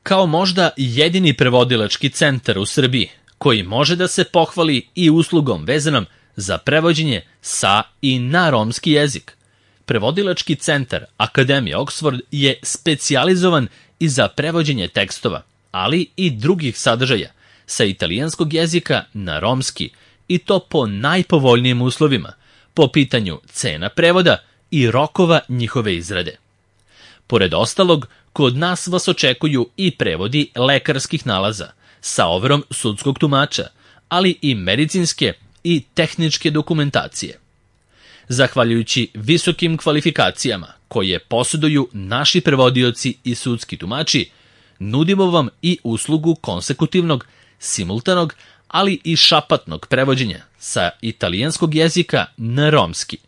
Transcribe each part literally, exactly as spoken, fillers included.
Kao možda jedini prevodilački centar u Srbiji, koji može da se pohvali i uslugom vezanom za prevođenje sa i na romski jezik. Prevodilački centar Akademije Oxford je specijalizovan i za prevođenje tekstova, ali i drugih sadržaja sa italijanskog jezika na romski, i to po najpovoljnijim uslovima, po pitanju cena prevoda i rokova njihove izrade. Pored ostalog, kod nas vas očekuju i prevodi lekarskih nalaza sa overom sudskog tumača, ali i medicinske i tehničke dokumentacije. Zahvaljujući visokim kvalifikacijama koje posjeduju naši prevodioci i sudski tumači, nudimo vam i uslugu konsekutivnog, simultanog, ali i šapatnog prevođenja sa italijanskog jezika na romski.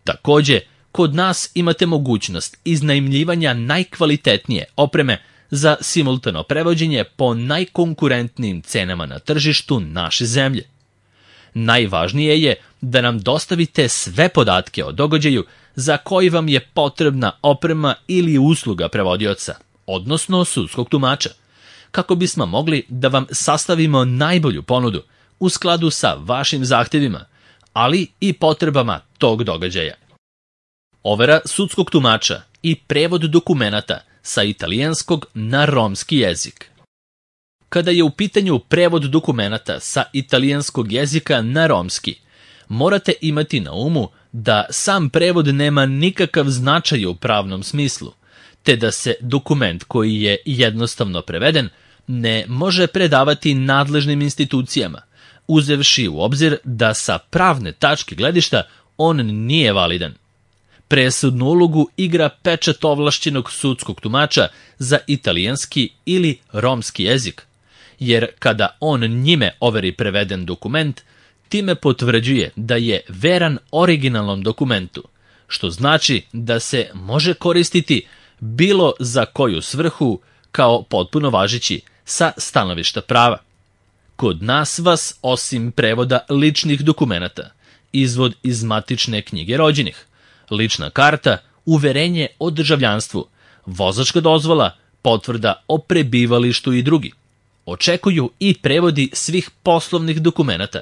Takođe, kod nas imate mogućnost iznajmljivanja najkvalitetnije opreme za simultano prevođenje po najkonkurentnijim cenama na tržištu naše zemlje. Najvažnije je da nam dostavite sve podatke o događaju za koji vam je potrebna oprema ili usluga prevodioca, odnosno sudskog tumača, kako bismo mogli da vam sastavimo najbolju ponudu u skladu sa vašim zahtevima, ali i potrebama tog događaja. Overa sudskog tumača i prevod dokumenata sa italijanskog na romski jezik. Kada je u pitanju prevod dokumenata sa italijanskog jezika na romski, morate imati na umu da sam prevod nema nikakav značaj u pravnom smislu, te da se dokument koji je jednostavno preveden ne može predavati nadležnim institucijama, uzevši u obzir da sa pravne tačke gledišta on nije validan. Presudnu ulogu igra pečat ovlašćenog sudskog tumača za italijanski ili romski jezik, jer kada on njime overi preveden dokument, time potvrđuje da je veran originalnom dokumentu, što znači da se može koristiti bilo za koju svrhu kao potpuno važeći sa stanovišta prava. Kod nas vas, osim prevoda ličnih dokumenata, izvod iz matične knjige rođenih, lična karta, uverenje o državljanstvu, vozačka dozvola, potvrda o prebivalištu i drugi, očekuju i prevodi svih poslovnih dokumenata,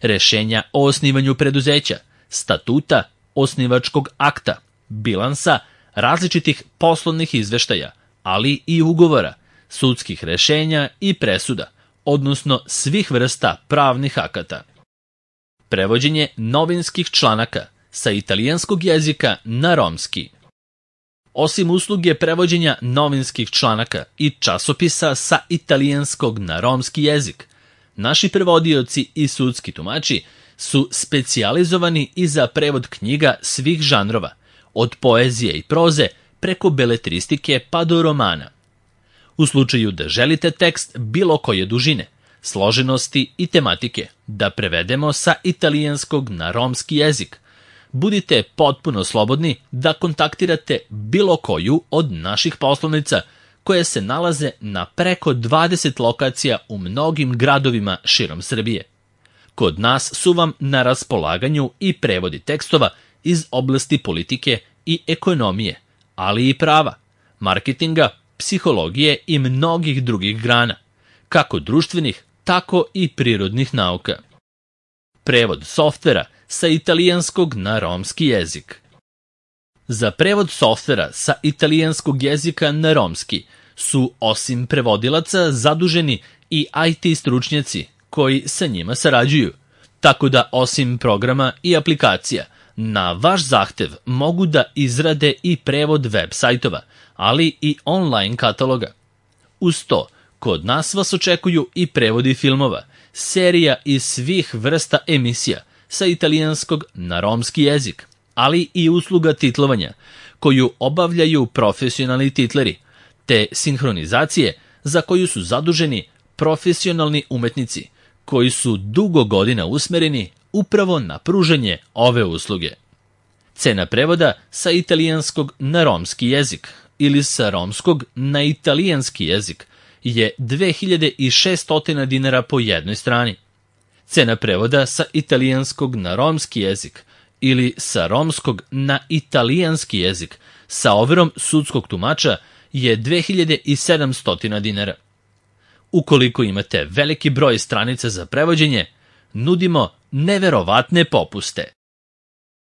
rešenja o osnivanju preduzeća, statuta, osnivačkog akta, bilansa, različitih poslovnih izveštaja, ali i ugovora, sudskih rešenja i presuda, odnosno svih vrsta pravnih akata. Prevođenje novinskih članaka sa italijanskog jezika na romski. Osim usluge prevođenja novinskih članaka i časopisa sa italijanskog na romski jezik, naši prevodioci i sudski tumači su specijalizovani i za prevod knjiga svih žanrova, od poezije i proze preko beletristike pa do romana. U slučaju da želite tekst bilo koje dužine, složenosti i tematike da prevedemo sa italijanskog na romski jezik, budite potpuno slobodni da kontaktirate bilo koju od naših poslovnica koje se nalaze na preko dvadeset lokacija u mnogim gradovima širom Srbije. Kod nas su vam na raspolaganju i prevodi tekstova iz oblasti politike i ekonomije, ali i prava, marketinga, psihologije i mnogih drugih grana, kako društvenih, tako i prirodnih nauka. Prevod softvera sa italijanskog na romski jezik. Za prevod softvera sa italijanskog jezika na romski su, osim prevodilaca, zaduženi i I T stručnjaci koji sa njima sarađuju, tako da osim programa i aplikacija, na vaš zahtev mogu da izrade i prevod web sajtova, ali i online kataloga. Uz to, kod nas vas očekuju i prevodi filmova, serija i svih vrsta emisija sa italijanskog na romski jezik, ali i usluga titlovanja, koju obavljaju profesionalni titleri, te sinhronizacije za koju su zaduženi profesionalni umetnici, koji su dugo godina usmereni upravo na pružanje ove usluge. Cena prevoda sa italijanskog na romski jezik ili sa romskog na italijanski jezik je dve hiljade šesto dinara po jednoj strani. Cena prevoda sa italijanskog na romski jezik ili sa romskog na italijanski jezik sa overom sudskog tumača je dve hiljade sedamsto dinara. Ukoliko imate veliki broj stranica za prevođenje, nudimo neverovatne popuste.